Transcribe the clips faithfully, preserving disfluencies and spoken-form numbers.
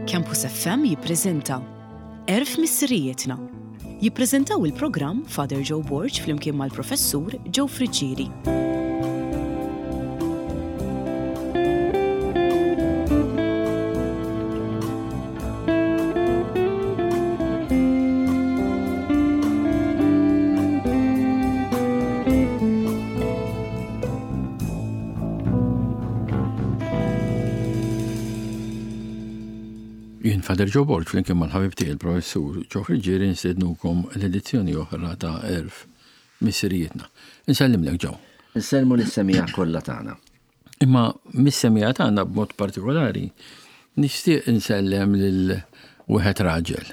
Campus F M jippreżenta Għerf Missirijietna. Jippreżentaw il-programm Father Joe Borg flimkien mal-Professur Joe Friggieri. Jien Father Joe Borg flimkien mal-ħabib tiegħi il-Professur Joe Friggieri nstednukom l-edizzjoni oħra ta' Għerf Missirijietna. Insellimlek, Joe. Insellmu lis-semmiegħa kollha tagħna. Imma mis-semmiegħa tagħna b'mod partikolari nixtieq insellem lil wieħed raġel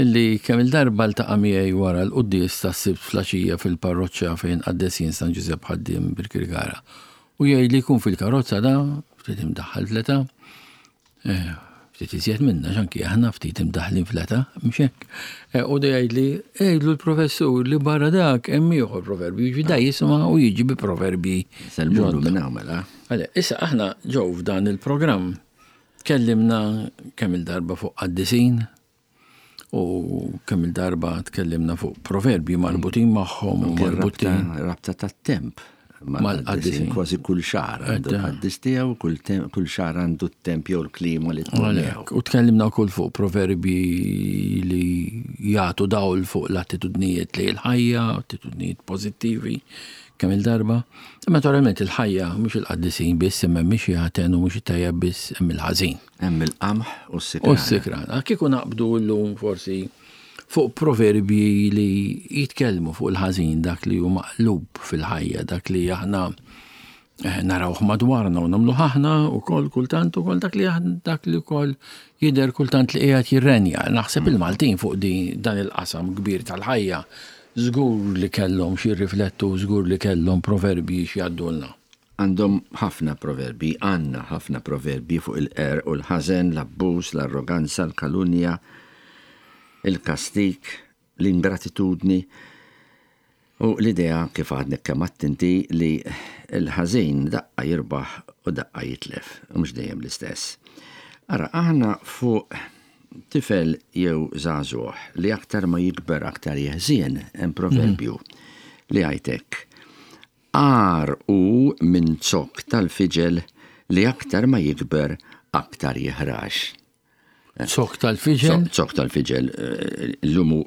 illi kemm il-darba ltaqa' miegħi wara l-quddies tas-Sibt filgħaxija fil-parroċċa fejn qaddesin San Ġużepp Ħaddiem Birkirkara. U jgħid li jkun fil-karozza da, ftit imdaħħal fl-età, eh, ftit iżjed minna, xanki aħna ftit imdaħlin fl-età, mhux hekk. Eh, U da jgħid li għidlu l-professur li barra dak hemm ieħor proverbju, jiġi da jisma' u jiġi bi proverbji. Sellmulu minn hawn mela. Għale, issa aħna ġew f'dan il-programm tkellimna kemm il-darba fuq qaddisin u kemm il-darba tkellimna fuq proverbji marbutin magħhom u Anke marbutin Rabta rabta tat-temp mal-qaddisin. mal-qaddisin. Kważi kull xahar għandu Edda. l-qaddis tiegħu, kull tem- kull xahar għandu t-temp jew l-klima li tkun miegħu. Għalhekk, u tkellimna wkoll fuq proverbji li jagħtu dawl fuq l-attitudnijiet li l-ħajja, attitudnijiet pożittivi kemm il-darba. Imma naturalment il-ħajja mhux il-qaddisin biss, imma mhix jagħten u mhux it-tajjeb biss, hemm il-ħażin. Hemm il-qamħ u U s-sikrana. s-sikrana. Kieku naqbdu llum forsi fuq proverbji li jitkellmu fuq il-ħażin, dak li hu maqlub fil-ħajja, dak li aħna eh, narawh madwarna u nagħmluh aħna ukoll kultant ukoll dak li aħna dak li wkoll jidher kultant li qiegħed jirrenja. Naħseb il-Maltin fuq di dan il-qasam kbir tal-ħajja żgur li kellhom xi riflettu, żgur li kellhom proverbji xi jgħaddulna. Għandhom ħafna proverbi, għandna ħafna proverbi fuq il-qerq u l-ħażen, l-abbuż, l-arroganza, l-kalunja, il-kastik, l-ingratitudni. U l-idea kif għadni kemm attenti li l-ħażin daqqa jirbaħ u daqqa jitlef, u mhux dejjem l-istess. Ara, aħna fuq tifel jew żagħżugħ li aktar ma jikber aktar jeħżien, hemm proverbju li għajtek. Agħar hu minn zokk tal-fiġel li aktar ma jikber aktar jiħrax. Zokk tal-fiġel? Zokk tal-fiġel, eh, l-lumu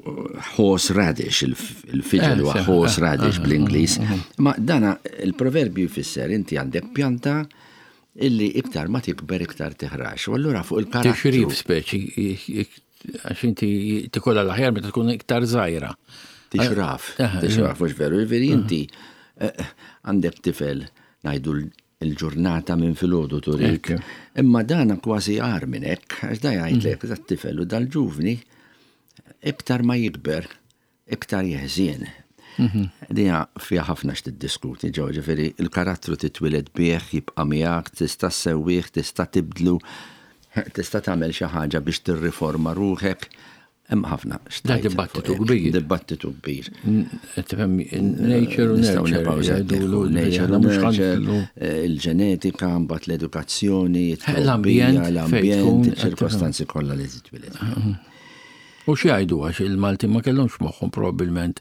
horse radish, il-fiġel huwa Eh, sew, horse eh, radish eh, bl-Ingliż. Ma dana il-proverbju jfisser inti għandek pjanta illi iktar ma tikber iktar tiħrax. U allura fuq il-karattru. Tixrif speċi, għax inti tikolla l-aħjar meta tkun iktar żgħira. Tixraf, Eh, tixraf, mhux veru, jiġifieri inti eh, għandek tifel ngħidu l-ġurnata minn filgħodu turik. Ekk. Imma dana kważi agħar minn hekk, għax da jgħidlek dat tifel u dal-ġuvni iktar ma jikber, iktar jeħżien. Dija fija ħafna x'tiddiskuti ġew, ġifieri il-karattru titwieled bih, jibqa' miegħek, tista' ssewwih, tista' tibdlu, tista' tagħmel xi ħaġa biex tirriforma ruħek. Hemm ħafna Da x'tgħid dibattitu fuq hekk. kbir. Dibattitu kbir. Tifhem, nature u Nistgħu nurture. nibqgħu jgħidulu, nature u aħna mhux nurture, ħanflu. eh, il-ġenetika, mbagħad l-edukazzjoni, L-ambjent, it-trobbija, fejn l-ambjent, tkun, iċ-ċirkostanzi kollha li titwieled. U xi jgħidu għax il-Malti ma kellhomx moħħhom probabbilment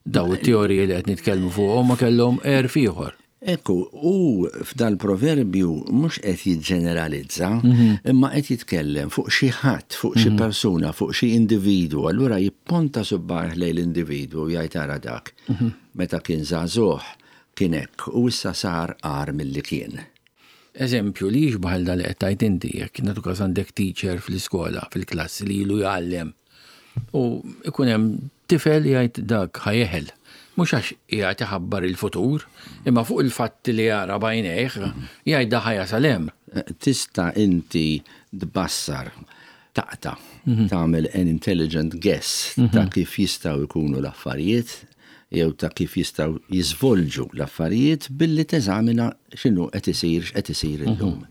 daw it-teoriji li qed nitkellmu fuqhom, ma kellhom għerf ieħor. Ekku, u f'dal proverbju mhux qed jiġġeneralizza, imma qed jitkellem fuq xi ħadd, fuq xi persuna, fuq xi individwu. Allura jipponta subgħajh lejn l-individwu u jgħid ara dak. Meta kien żagħżugħ kien hekk u issa sar agħar milli kien. Eżempju li jixbaħ da li qed tgħid inti, jekk nagħtu każ għandek teacher fl-iskola, fil-klassi li ilu jgħallem. U ikun hemm tifel jgħid dak ħa jeħel. Mhux għax qiegħed iħabbar il-futur, imma fuq il-fatti li jara b'għajnejh jgħid da ħa jasal hemm. Tista' inti tbassar, taqta, tagħmel an intelligent guess ta' kif jistgħu jkunu l-affarijiet jew ta' kif jistgħu jiżvolġu l-affarijiet billi teżamina x'inhu qed isir x'qed isir illum.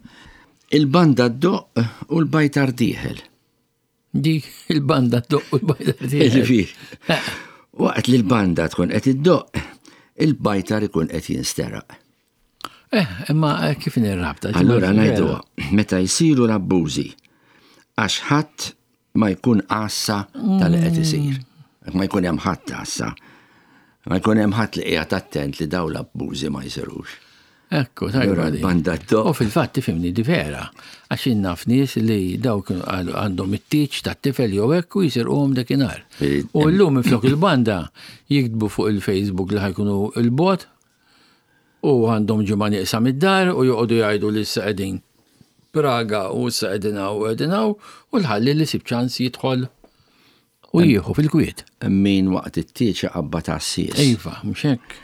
Il-banda ddoqq u l-bajtar dieħel. Dik il-banda ddoqq u l-bajtar dieħel. Ġifieri, waqt li l-banda tkun qed iddoqq, il-bajtar ikun qed jinsteraq. Eh, imma kif nirrabta? Allura ngħidu meta jsiru l-abbużi Għax ħadd ma jkun għassa tal qed isir. Ma jkun hemm ħadd għassa. Ma jkun hemm ħadd li qiegħed attent li dawn l-abbużi ma jsirux. Ekku, tajba. Banda. U fil-fatt tifhimni di vera, għax naf nies li dawk għandhom it-tieġ tat-tifel jew hekk u jisirquhom dakinhar. U llum minflok il-banda jiktbu fuq il-Facebook li ħa jkunu 'l bogħod u għandhom ġimgħa nieqsa mid-dar u joqogħdu jgħidu li issa qegħdin Praga u issa qegħdin hawn u qegħdin hawn u l-ħalli li sib ċans jidħol u jieħu fil-kwiet. Min waqt it-tieġ qabba ta' sis. Iva, mhux hekk.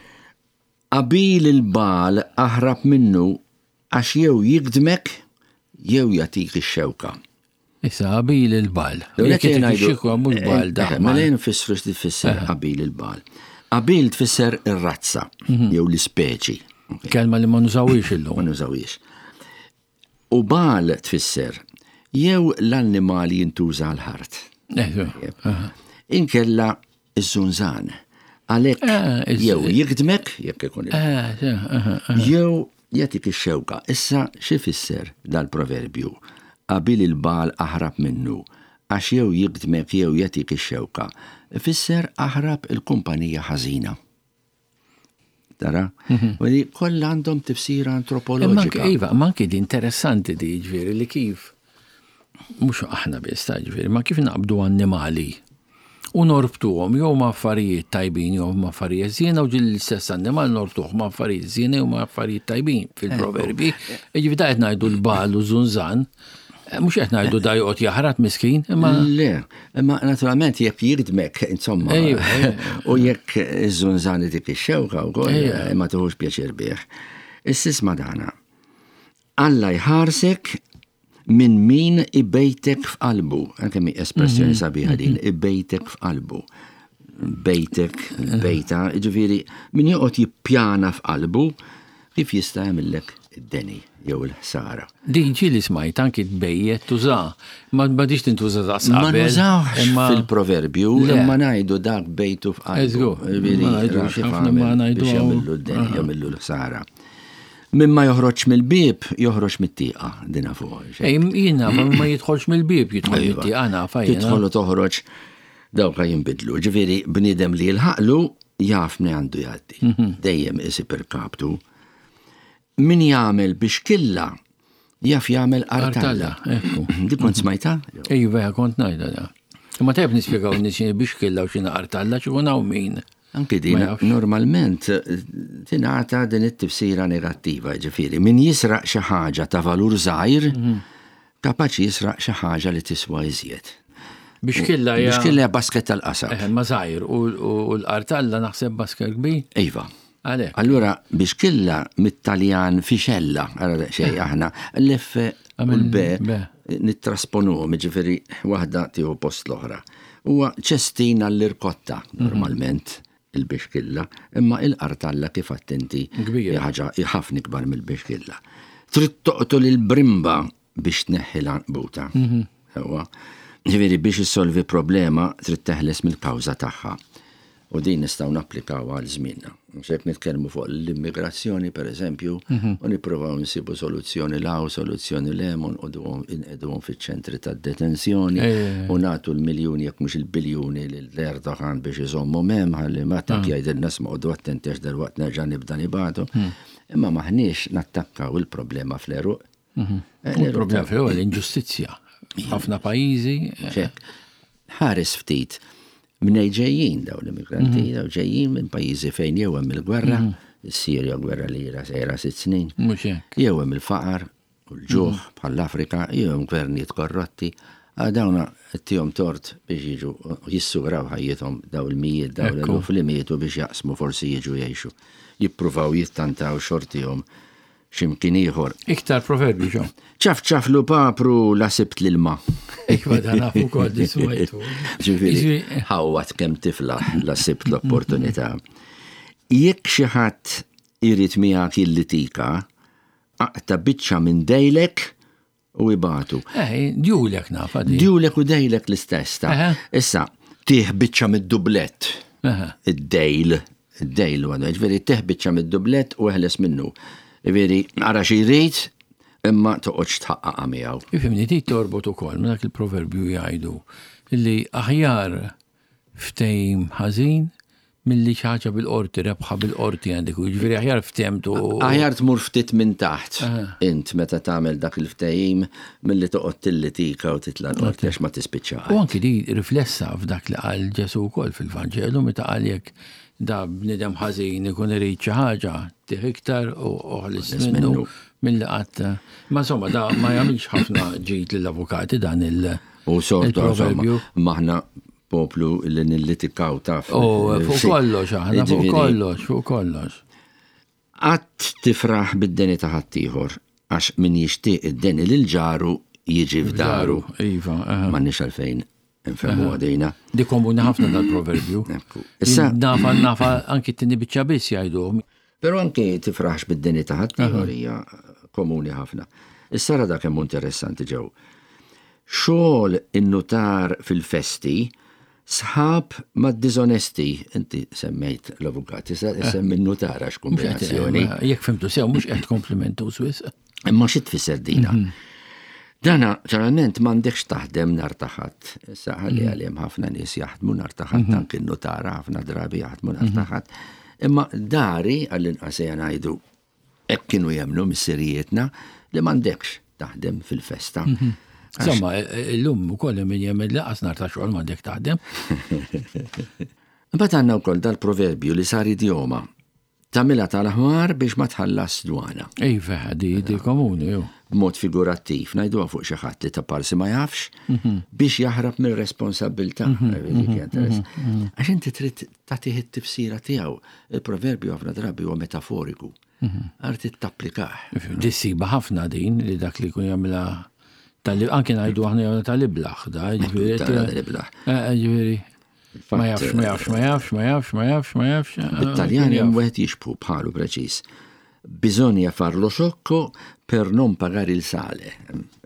Qabil il-bagħal aħrab minnu għax jew jigdmek jew jagħtik ix-xewka. Issa qabil il-bagħal. Jekk xewka mhux bagħal da. Mela nfissru x'tfisser qabil il-bagħal. Qabil tfisser ir-razza jew l-ispeċi. Kelma li ma nużawix illum. Ma nużawix. U bagħal tfisser jew l-annimali jintuża l-ħart. Inkella iż-żunżan. Għalhekk jew jigdmek, jekk ikun jew jagħtik ix-xewka. Issa xi fisser dal-proverbju? Qabil il-bagħal aħrab minnu, għax jew jigdmek jew jagħtik ix-xewka. Fisser aħrab il-kumpanija ħażina. Tara? U li kollha għandhom tifsira antropoloġika. Iva, ma anki di interessanti di ġifieri li kif mhux aħna biss ta' ġifieri, ma kif naqbdu annimali u norbtuhom jew ma' affarijiet tajbin jew ma' affarijiet żiena u ġil l-istess annimal norbtuh ma' affarijiet żiena jew ma' affarijiet tajbin fil-proverbi. Ġifieri da qed ngħidu l-bagħal u żunżan, mhux qed ngħidu da joqgħod jaħrat miskin, imma Le, imma naturalment jekk jigdmek, insomma, u jekk iż-żunżan dik ix-xewka wkoll ma tuħux pjaċir bih. Issa isma' dana. Alla jħarsek minn min ibejtek f'qalbu. Anke mi espressjoni sabiħa din, ibejtek f'qalbu. Bejtek, bejta, ġifieri min joqgħod jippjana f'qalbu kif jista' jagħmillek id-deni jew il-ħsara. Din ġieli smajt anki tbejjet tuża. Ma m'għadix tintuża daqs Ma nużawx fil-proverbju, imma ngħidu dak bejtu f'qalbu. Ma ngħidux biex jagħmillu d-deni, jagħmillu l-ħsara. Min ma joħroġ mill-bieb, joħroġ mit-tieqa, dina fuq. Ej, jien naf, ma jidħolx mill-bieb, jidħol mit-tieqa, naf. Tidħol u toħroġ, dawk jinbidlu. Ġifieri, bniedem li jilħaqlu, jaf min għandu jgħaddi. Dejjem isib irkabtu. Min jagħmel biex killa, jaf jagħmel artalla. Di kont smajta? Iva, kont ngħidha da. Imma tajb nispjegaw nies biex killa u x'inha artalla, x'ikun hawn min. Anki din, normalment tingħata din it-tifsira negattiva, ġifieri, min jisraq xi ħaġa ta' valur żgħir, kapaċi jisraq xi ħaġa li tiswa iżjed. Biex killa hija. Biex killa hija basket tal-qasab. Eh, ma żgħir u l-artalla naħseb basket kbir. Iva. Allura biex killa mit-Taljan fixella, ara xejn aħna, l-F u l-B nittrasponuhom, ġifieri waħda tieħu post l-oħra. Huwa ċestina l-irkotta normalment. Il-bixkilla, imma il-qartalla kif attenti ħaġa ħafna ikbar mill-bixkilla. Trid toqtol il-brimba biex tneħħi l-għanqbuta. Ġifieri biex issolvi problema trid teħles mill-kawża tagħha. U din nistgħu napplikaw għal żmienna. Mhux hekk nitkellmu fuq l-immigrazzjoni pereżempju, u nippruvaw nsibu soluzzjoni l hawn, soluzzjoni l hemm, u nqegħduhom fiċ-ċentri tad-detenzjoni u nagħtu l-miljuni jekk mhux il-biljuni lil Erdogan biex iżommhom hemm ħalli ma tak jgħidilna sma' attenti għax dalwaqt nerġa' nibda nibagħtu. Imma maħniex nattakkaw il-problema fl-għeruq. Il-problema fl-għeruq l-inġustizzja. Ħafna pajjiżi. Ħares ftit. Minn ġejjin daw l-immigranti, daw ġejjin minn pajjiżi fejn jew hemm il-gwerra, is-Sirja gwerra li ira sejra sitt snin, jew hemm il-faqar u l-ġuħ bħall-Afrika, jew hemm gvernijiet korrotti, dawna tihom tort biex jiġu jissugraw ħajjithom daw il-mijiet, daw l-eluf li mietu biex jaqsmu forsi jiġu jgħixu. Jippruvaw jittantaw xortihom x'imkien ieħor. Iktar proverbju ġo. Ċaf ċaf lu papru la sibt l-ilma. Iva dan nafu wkoll dismajtu. Ġifieri ħawwat kemm tiflaħ la sibt l-opportunità. Jekk xi ħadd irid miegħek jillitika, aqta' biċċa minn dejlek u ibatu. Eh, djulek nafa di. Djulek u dejlek l-istess ta'. Issa, tih biċċa mid-dublett. Id-dejl, id-dejl għadu, ġifieri tih biċċa mid-dublett u eħles minnu. Ġifieri, ara xi jrid, Imma toqgħodx tħaqqaqha miegħu. Ifhimni, di torbot ukoll minn dak il-proverbju jgħidu li aħjar ftehim ħażin milli xi ħaġa bil-qorti, rebħa bil-qorti għandek, jiġifieri aħjar ftehemtu. Aħjar tmur ftit minn taħt int meta tagħmel dak il-ftehim milli toqgħod tillitika u titla' l-qorti għax ma tispiċċa. U anki di riflessa f'dak li qal Ġesù wkoll fil-Vanġelu meta qal jekk da bniedem ħażin ikun irid xi ħaġa tih iktar u oħlis minnu milli qatt. Ma insomma da ma jagħmilx ħafna ġid lill-avukati dan il- U sorta il-proverbju. Maħna poplu li nillitikaw taf. U fuq kollox aħna, fuq Jiġifieri, kollox, fuq kollox. Qatt tifraħ bid-deni ta' ħaddieħor għax min jixtieq id-deni lil ġaru jiġi f'daru. Iva, aha. M'għandniex għalfejn nfehmu għadejna. Di komuni ħafna dal-proverbju. Ekku. Issa- Nafa, nafa, anki t-tini biċċa biss jgħidu. Però anke tifraħx bid-deni ta' ħaddieħor hija komuni ħafna. Issa ra dak kemm hu interessanti ġew. Xogħol in-nutar fil-festi sħab mad-diżonesti. Inti semmejt l-avukat, issa semmi n-nutar għax kombinazzjoni. Jekk fimtu sew, mhux qed komplimentu Swiss. Imma xi tfisser dina? Dana, ġeneralment m'għandekx taħdem nhar ta' Ħadd. Issa ħalli għalihom ħafna nies jaħdmu nhar ta' Ħadd, anki n-nutara ħafna drabi jaħdmu nhar ta' Ħadd. Imma dari għall-inqas ejja ngħidu hekk kienu jemmnu missirijietna li m'għandekx taħdem fil-festa. Insomma, illum ukoll min jemmen li qas nhar ta' xogħol m'għandek taħdem. Imbagħad għandna wkoll dal-proverbju li sar idjoma. Tagħmilha tal-ħmar biex ma tħallas dwana. Iva, di di komuni, ju. B'mod figurattiv, ngħiduha fuq xi ħadd li ta' parsi ma jafx biex jaħrab mir-responsabilità. Għax inti trid tagħtih it-tifsira tiegħu. Il-proverbju ħafna drabi huwa metaforiku. Għar trid tapplikah. Di ssiba ħafna din li dak li jkun jagħmilha tal anke ngħidu aħna jagħmilha tal-iblaħ, da, ġifieri. Tal-iblaħ. Eh, Ġifieri. Ma jafx, ma jafx, ma jafx, ma jafx, ma jafx, ma jafx. eh, Bit-Taljan hemm wieħed jixbhu bħalu preċiż. Bisogna far lo sciocco per non pagare il sale.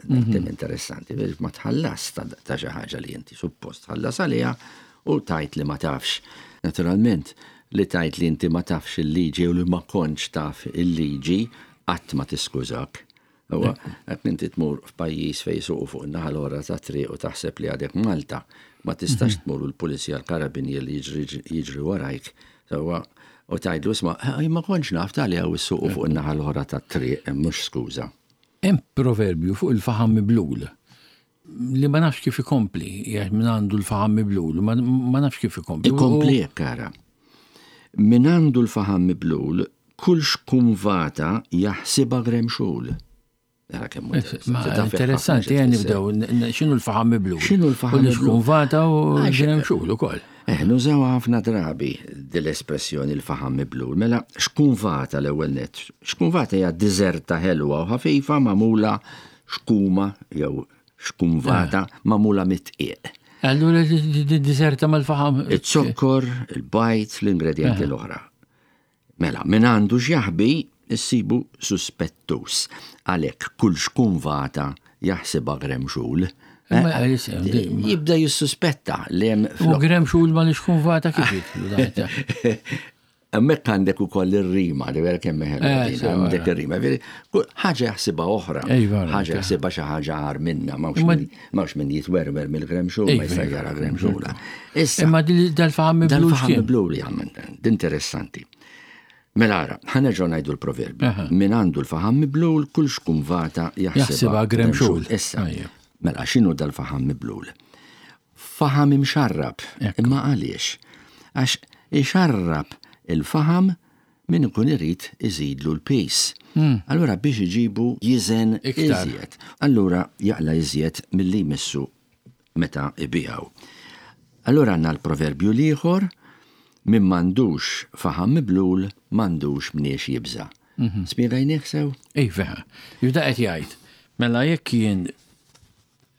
Tem interessanti, biex ma tħallas ta' ta' xi ħaġa li inti suppost tħallas għaliha u tajt li ma tafx. Naturalment, li tajt li inti ma tafx il-liġi u li ma kontx taf il-liġi qatt ma tiskużak. Huwa, qed inti tmur f'pajjiż fejn suqu fuq in-naħa l-oħra ta' triq u taħseb li għadek Malta, ma tistax tmur u l-pulizija l-karabinier li jiġri jiġri warajk. Sewwa, u tgħidlu isma' "Eh, ma kontx naf tali hawn issuqu fuq in-naħa l-oħra tat-triq, mhux skuża. Hemm proverbju fuq il-faħam miblul li ma nafx kif ikompli, jgħid min għandu l-faħam miblul, ma ma nafx kif ikompli. Ikompli hekk ara. Min għandu l-faħam miblul, kull xkumvata jaħsibha gremxul. Ara kemm hu Ma interessanti. Taf interessanti, ħafna għan xi tfisser. nibdew, n- n- x'inhu l-faħam miblul? X'inhu l-faħam U miblul? l-xkumvata u gremxul ukoll. Eh, nużaw ħafna drabi dil-espressjoni l-faħam miblul. Mela, xkumvata l-ewwel net. Xkumvata hija diżerta ħelwa u ħafifa magħmula xkuma jew xkumvata magħmula mit-tqiq. Allura di- di- diżerta mal-faħam. Iz-zokkor, il-bajt, l-ingredienti l-oħra. Mela, min għandu x'jaħbi, issibu suspettus. Għalhekk kull xkumvata jaħsibha gremxul. Imma, eh, jisem, di- Jibda jissuspetta li hemm U gremxul ma l-xkumvata kif jitlu da? Hemmhekk għandek ukoll ir-rima, li vera kemm ħelwa Eh, din, sewa, għandek ir-rima. Veri, kull ħaġa jaħsibha oħra, Ejva, ħaġa rajta. jaħsibha xi ħaġa agħar minna, m'hawnx Imma- min- m'hawnx min jitwerwer mill-gremxul, ma Ejva, jista' ejva. jara gremxula. Issa, Imma di- dal-faħam miblul dal-faħam x'kien? blu li għamil, interessanti. Mela ara, ħanerġgħu ngħidu l-proverbju. Aha. Min għandu l-faħam miblul, kull xkumvata jaħsibha Jaħsibha gremxul. Issa, Ajja. mela x'inhu dal-faħam miblul? Faħam imxarrab. Ekku. Imma għaliex? Għax ixarrab il-faħam min ikun irid iżidlu l-pis. Allura biex iġibu jiżen Iktar. iżjed. Allura jaqla iżjed milli jmissu meta ibijaw. Allura għandna l-proverbju l-ieħor min m'għandux faħam miblul m'għandux mniex jibża. Spjegajnieh sew? Iva, jibda qed jgħid. Mela jekk jien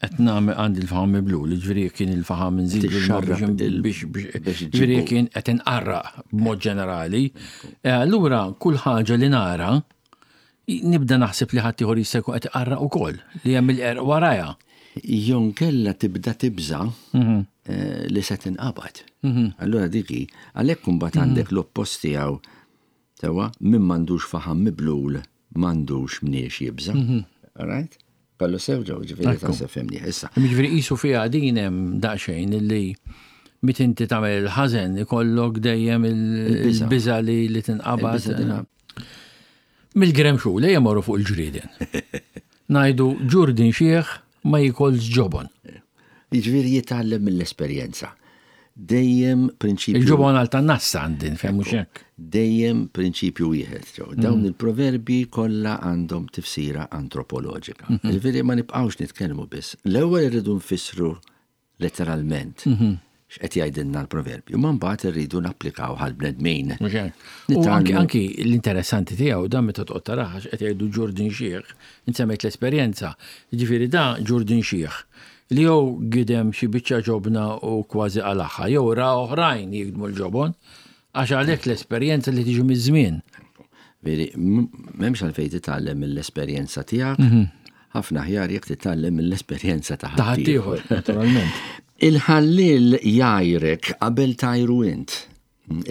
qed nagħmel għandi l-faħam miblul, jiġifieri jekk jien il-faħam nżidu Tixxarrab il- biex biex biex jiġifieri iġibu. jekk jien qed inqarraq b'mod ġenerali, eh, allura kull ħaġa li nara nibda naħseb li ħadd ieħor jista' jkun qed iqarraq ukoll li hemm il-qerq warajha. Jon kella tibda tibża eh, li se tinqabad. Allura diki, għalhekk imbagħad għandek l-oppost tiegħu sewwa min m'għandux faħam miblul m'għandux mniex jibża. All right? Kollu sew ġew, ġifieri ta' femni. Issa. Ġifieri qisu fiha din hemm daqsxejn illi meta inti tagħmel il-ħażen ikollok dejjem il-biża li li tinqabad. Mill-gremxu li jmorru fuq il-ġrieden. Ngħidu ġurdin xieħ ma jikolx ġobon. Jiġifieri jitgħallem mill-esperjenza. Dejjem prinċipju. Il-ġobon għal tan-nassa għandin, fejn mhux hekk. Dejjem prinċipju wieħed. Dawn mm. il-proverbi kollha għandhom tifsira antropoloġika. Mhm. Jiġifieri ma nibqgħux nitkellmu biss. L-ewwel irridu nfissru letteralment mhm. x'qed jgħidilna l-proverbju, ma mbagħad irridu napplikaw għall-bnedmin. U anki anki l-interessanti tiegħu dan meta toqgħod taraha x'qed jgħidu ġurdin xieħ, insemmejt l-esperjenza. Jiġifieri da ġurdin xieħ li jew gidem xi biċċa ġobna u kważi qalagħha, jew ra oħrajn jigdmu l-ġobon, għax għalhekk l-esperjenza li tiġi miż-żmien. Veri, m'hemmx għalfejn titgħallem mill-esperjenza tiegħek, mhm. ħafna aħjar jekk titgħallem mill-esperjenza ta' ħaddieħor, naturalment. Il-ħallil jgħajrek qabel tgħajru int.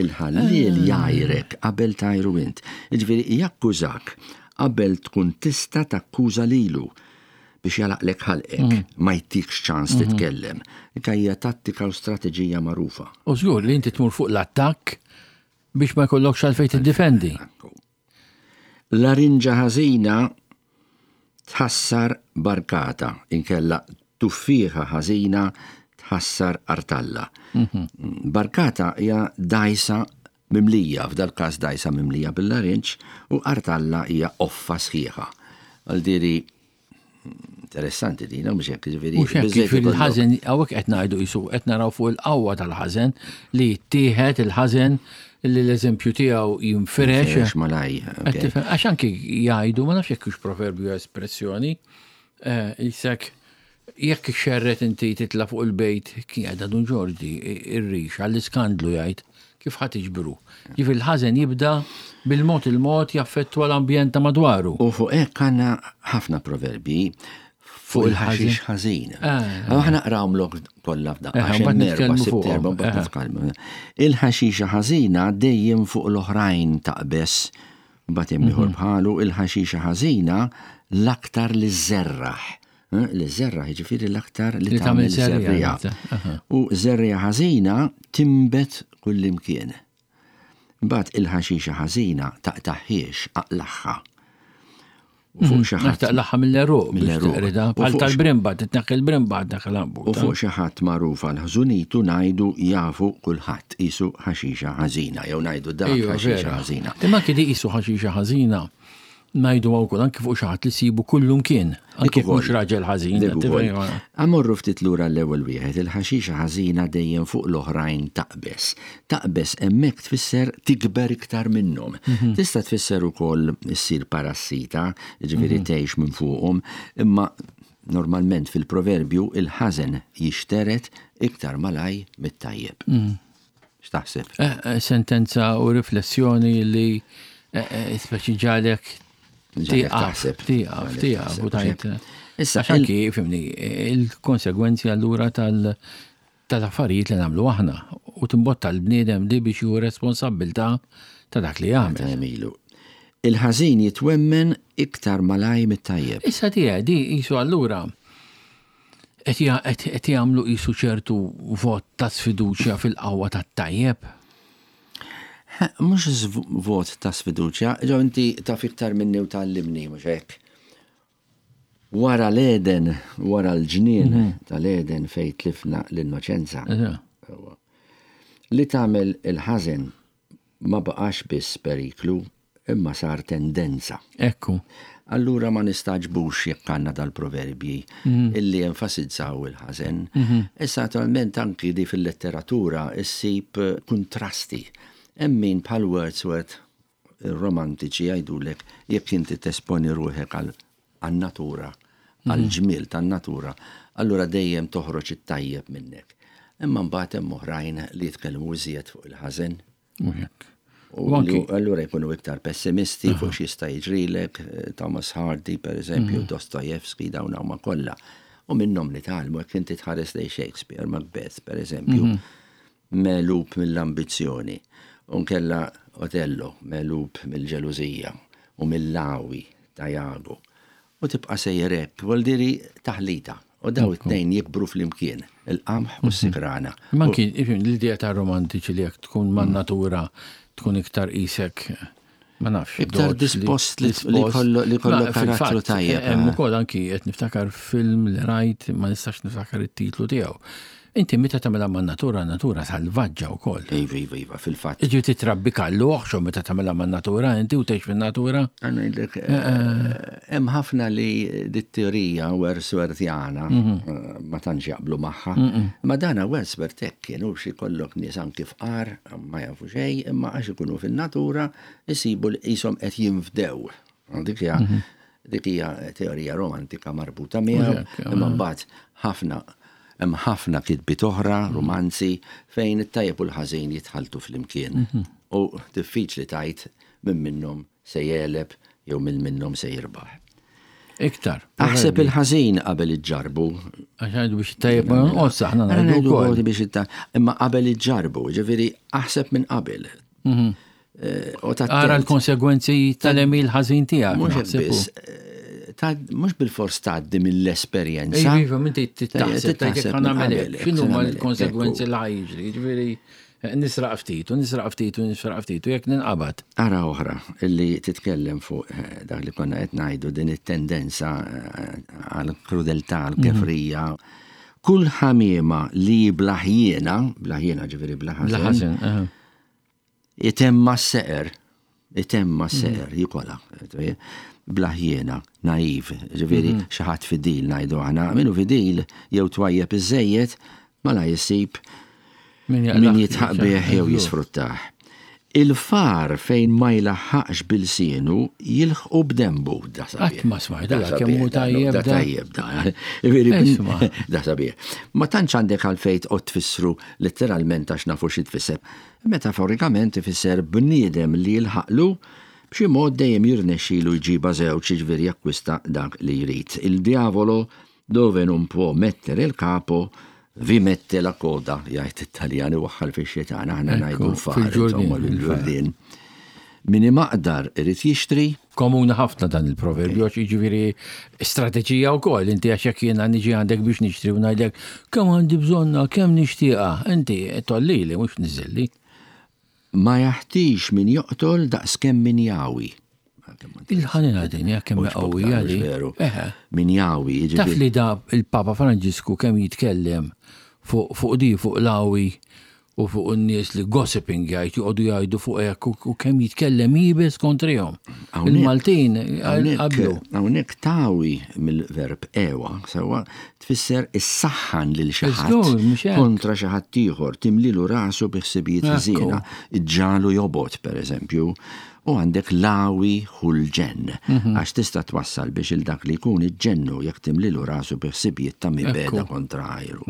Il-ħallil ah. jgħajrek qabel tgħajru int. Jiġifieri jakkużak qabel tkun tista' takkuża lilu biex jagħlaqlek ħalqek, mm. ma jtikx ċans mhm. titkellem. Hija tattika u strateġija magħrufa. U żgur li inti tmur fuq l-attakk biex ma jkollokx għalfejn tiddefendi. Larinġa ħażina tħassar barkata, inkella tuffieħa ħażina tħassar artalla. Mhm. Barkata hija dajsa mimlija, f'dal każ dajsa mimlija bil-larinġ, u artalla hija offa sħiħa. Għaldiri interessanti dina, mhux hekk, ġifieri. Mhux hekk, ġifieri il-ħażen hawnhekk qed ngħidu qisu qed naraw fuq il-qawwa tal-ħażen li jittieħed il-ħażen li l-eżempju tiegħu jinfirex. Jinfirex malaj. Għax anki jgħidu, ma nafx jekk hux proverbju espressjoni, eh, jisek jekk xerret inti titla' fuq il-bejt, kien għedha Dun Ġorġi, ir-rix, għall-iskandlu jgħid, kif ħa tiġbru. Ġifieri l-ħażen jibda bil-mod il-mod jaffettwa l-ambjent ta' madwaru. U fuq hekk għandna ħafna proverbi fuq il-ħaxix ħażin. Aħna qrawmlok kollha f'daqqa. Il-ħaxixa ħażina dejjem fuq l-oħrajn taqbeż, mbagħad hemm ieħor bħalu il-ħaxixa ħażina l-aktar li żerraħ. Li żerraħ jiġifieri l-aktar li tagħmel żerriegħa. U żerriegħa ħażina timbet kullimkien. Mbagħad il-ħaxixa ħażina taqtaħħiex, aqlaħħa. U fuq xi ħadd taqlaħħa mill-eruq, mill-eruq. Bħal tal-brimba, titneħħi l-brimba tneħħi l-għanbut. U fuq xi ħadd magħruf għal ħżunitu ngħidu jafu kulħadd qisu ħaxixa ħażina jew ngħidu dak ħaxixa ħażina. Imma anki di qisu ħaxixa ħażina ngħidu wkoll anki fuq xi ħadd li sibu kullum kien, anki mhux raġel ħażin. Amorru ftit lura l-ewwel wieħed, il-ħaxixa ħażina dejjem fuq l-oħrajn taqbeż. Taqbeż hemmhekk tfisser tikber iktar minnhom. Tista' tfisser ukoll issir parassita, jiġifieri tgħix minn fuqhom, imma normalment fil-proverbju il-ħażen jixteret iktar malaj mit-tajjeb. X'taħseb? Sentenza u riflessjoni li speċi ġalek Tieqaf, tieqaf, tieqaf, u tajt. Issa, anki, fimni, il-konsegwenzi allura tal-affarijiet li nagħmlu aħna u timbotta l-bniedem li biex ju responsabbiltà ta' dak li jagħmel. Il-ħażin jitwemmen iktar malaj mit-tajjeb. Issa tiegħi di qisu allura qed jagħmlu qisu ċertu vot ta' sfiduċja fil-qawwa tat-tajjeb. Mhux vot ta' sfiduċja, ġo inti taf iktar minni u tgħallimni, mhux hekk. Wara l-Eden, wara l-ġnien tal-Eden fejn tlifna l-innoċenza. Li tagħmel il-ħażen ma baqax biss periklu, imma sar tendenza. Ekku. Allura ma nistaġbux jekk għandna dal-proverbji illi enfasizzaw il-ħażen. Issa naturalment anki di fil-letteratura issib kontrasti. Hemm min bħal Wordsworth romantiċi jgħidulek jekk inti tesponi ruħek għan-natura, għall-ġmiel tan-natura, allura dejjem toħroġ it-tajjeb minnek. Imma mbagħad hemm oħrajn li jitkellmu iżjed fuq il-ħażen. U allura jkunu iktar pessimisti fuq x'jista' jiġrilek, Thomas Hardy per eżempju, Dostoevsky, dawn huma kollha. U minnhom nitgħallmu jekk inti tħares lejn Shakespeare, Macbeth per eżempju, melub mill-ambizzjoni. Unkella Otello, melub mill-ġelużija u mill-lawi ta' Jago. U tibqa' sejjer hekk, vuol taħlita. U daw it-tnejn jikbru flimkien, il-qamħ u s-sikrana. Ma kien, l-idea ta' romantiċi li jekk tkun man natura tkun iktar isek, ma nafx. Iktar dispost li kollu karattru tajjeb. Hemm ukoll anki qed niftakar film li rajt, ma nistax niftakar it-titlu tiegħu. Inti meta tagħmilha man-natura, natura salvaġġa wkoll. Iva, iva, iva, fil-fatt. Iġi titrabbi kallu oħxu meta tagħmilha man-natura, inti u tgħix fin-natura. Ngħidlek, hemm ħafna li dit-teorija Wordsworthiana ma tantx jaqblu magħha. Ma dana Wordsworth hekk kienu xi kollok nies anki fqar, ma jafu xejn, imma għax ikunu fin-natura isibu li qishom qed jinfdew. Dik hija dik hija teorija romantika marbuta miegħu, imma mbagħad ħafna hemm ħafna kitbiet oħra, romanzi, fejn it-tajjeb u l-ħażin jitħaltu flimkien. U diffiċli tajt minn minnhom se jegħleb jew minn minnhom se jirbaħ. Iktar. Aħseb il-ħażin qabel iġġarbu. Għax ngħidu biex it-tajjeb ma jonqos aħna ngħidu wkoll. Biex imma qabel iġġarbu, ġifieri aħseb minn qabel. Ara l-konsegwenzi tal-għemil ħażin tiegħek. Mhux biss, mhux bil-fors tgħaddi mill-esperjenza. Iva, minti taħseb, taħseb x'inhu ma l-konsegwenzi li ħajġri, ġifieri nisraq ftit, u nisraq ftit, u nisraq ftit, u jekk ninqabad. Ara oħra, illi titkellem fuq dak li konna qed ngħidu din it-tendenza għal-krudeltà, għal-kefrija. Kull ħamiema li blaħjena, blaħjena ġifieri blaħażen, itemma s-seqer, itemma s-seqer, jikola. Blaħjena, naiv, ġifieri xi ħadd fidil ngħidu aħna, minnu fidil jew twajjeb iżejjed mala jsib min jitħaq bih jew jisfruttah. Il-far fejn ma jlaħħaqx bil-sienu jilħqu b'dembu. Da sabiħ. Qatt ma smajt da kemm hu tajjeb da. Tajjeb da. Da sabiħ. Ma tantx għandek għalfejn tqgħod tfissru letteralment għax nafu xi tfisser. Metaforikament ifisser bniedem li jilħaqlu b'xi mod dejjem jirnexxilu jġiba żewġ, jiġifieri jakkwista dak li jrid. Il diavolo dove non può mettere il capo vi mette la coda, jgħid it-Taljan iwaħħal fix-xitan, aħna ngħidu l-far, insomma l-ġurdien. Min imaqdar irid jixtri. Komuni ħafna dan il-proverbju, għax jiġifieri strateġija wkoll, inti għax jekk jiena niġi għandek biex nixtri u ngħidlek kemm għandi bżonna, kemm nixtieqha, inti tollili mhux niżilli. Ma jaħtix min joqtol daqskemm min jawi. Il-ħanina din hija kemm qawwija li. Min jawi, jiġifieri. Taf li da il-Papa Franġisku kemm jitkellem fuq di, fuq l-awi u fuq in-nies li gossiping jgħid, joqogħdu jgħidu fuq hekk u kemm jitkellem jibes kontrihom. Il-Maltin qablu. Hawnhekk tawi mill-verb ewa, sewwa tfisser issaħħan lil xi ħadd kontra xi ħadd ieħor, timlilu rasu bi ħsibijiet ħżiena, iġġalu jobgħod pereżempju. U għandek lawi ħul ġenn, għax tista' twassal biex il dak li jkun iġġennu jekk timlilu rasu bi ħsibijiet ta' mibeda kontra għajru.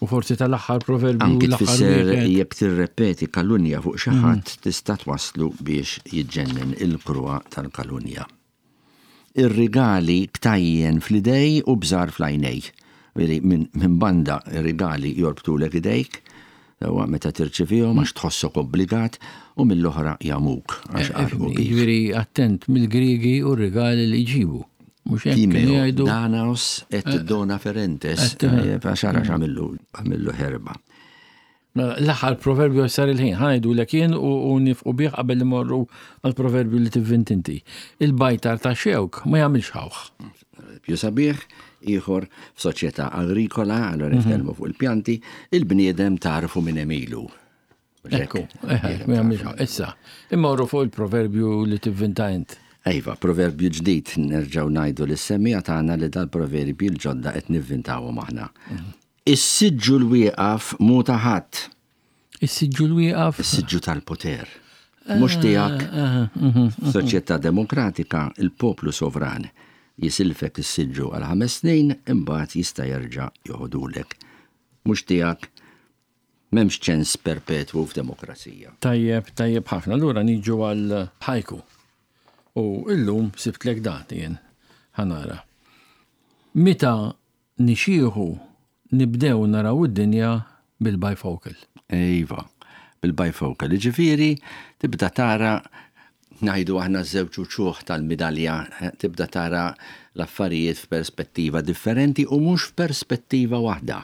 U forsi tal-aħħar proverbju. Anki tfisser jekk tirrepeti kalunja fuq xi ħadd tista' twasslu biex jiġġennen il-kruha tal-kalunja. Ir-rigali ktajjen fl-idej u bżar fl-għajnej. Minn banda ir-rigali jorbtulek idejk, meta tirċevihom għax tħossok obbligat, u mill-oħra jamuk għax qarbu bik. Jiġifieri attent mill-Griegi u r-rigali li jġibu. Timeo, Danaos et dona ferentes, għax ara x'għamillu, għamillu ħerba. L-aħħar proverbju sar il-ħin, ħanajdu l jien u nifqu bih qabel li morru għal-proverbju li tivvint inti. Il-bajtar ta' xewk ma jagħmilx ħawħ. Più sabiħ, ieħor f'soċjetà agrikola, allora nitkellmu fuq il-pjanti, il-bniedem tarfu minn emilu. Ekku, ma jagħmilx ħawħ. Issa, immorru fuq il-proverbju li tivvinta int. Ejva, proverbju ġdid, nerġgħu ngħidu lis-semmiegħa tagħna li dal-proverbji l-ġodda qed nivvintawhom aħna. Is-siġġu l-wieqaf mu ta' ħadd. Is-siġġu l-wieqaf? Is-siġġu tal-poter. Mhux tiegħek. F'soċjetà demokratika il-poplu sovran jisilfek is-siġġu għal ħames snin, imbagħad jista' jerġa' joħodulek. Mhux tiegħek, m'hemmx ċens perpetwu f'demokrazija. Tajjeb, tajjeb ħafna. Allura niġu għal ħajku. U illum sibtlek dat jien ħanara. Meta nixieħu nibdew naraw id-dinja bil-bifocal. Iva, bil-bifocal. Ġifieri tibda tara Ngħidu aħna żewġ uċuħ tal-midalja, eh, tibda tara l-affarijiet f'perspettiva differenti u mhux f'perspettiva waħda.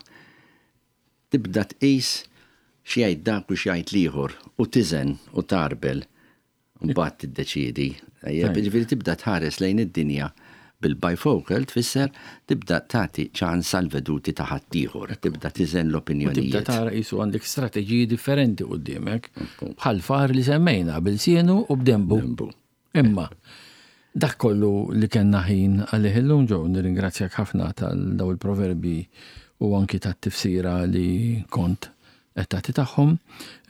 Tibda tqis x'jgħid dak u x'jgħid l-ieħor u tiżen u tarbel mbagħad tiddeċiedi. Ġifieri tibda tħares lejn id-dinja bil-bifocal tfisser tibda tagħti ċans għal veduti ta' ħaddieħor, tibda tiżen l-opinjonijiet. Tibda tara qisu għandek strateġiji differenti quddiemek, bħal far li semmejna b'ilsienu u b'denbu. Imma dak kollu li kellna ħin għalih illum Joe, nirringrazzjak ħafna tal daw il-proverbi u anki tat-tifsira li kont qed tagħti tagħhom.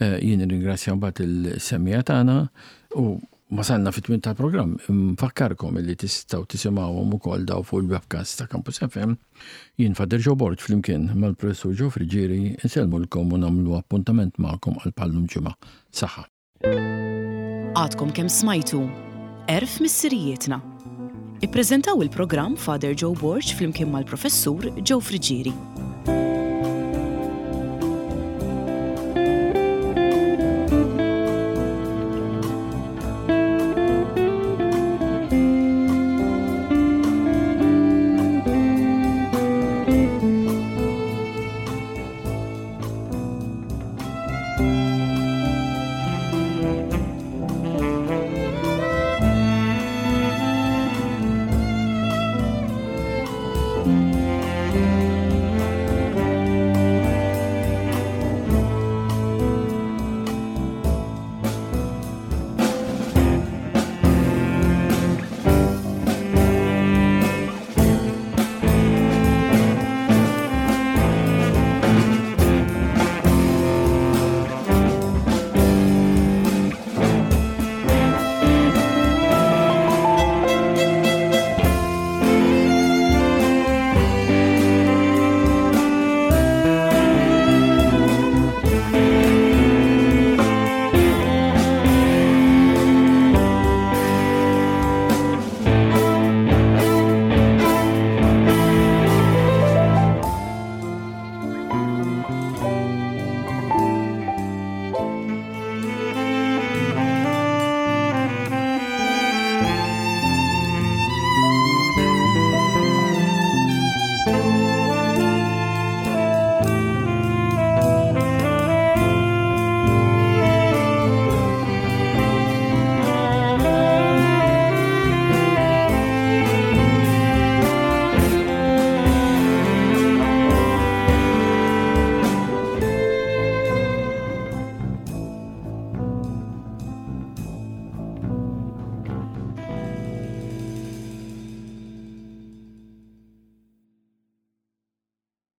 Eh, jien nirringrazzja mbagħad il-semmiegħa tagħna u wasalna fit-tmiem tal-programm. Nfakkarkom li tistgħu tisimgħuhom ukoll daw fuq il-webcast ta' Campus F M. Jien Father Joe Borg flimkien mal-Professur Joe Friggieri insellmulkom u nagħmlu appuntament magħkom għal bħal-lum ġimgħa. Saħħa. Għadkom kemm smajtu Għerf Missirijietna. Ippreżentaw il-programm Father Joe Borg flimkien mal-Professur Joe Friggieri.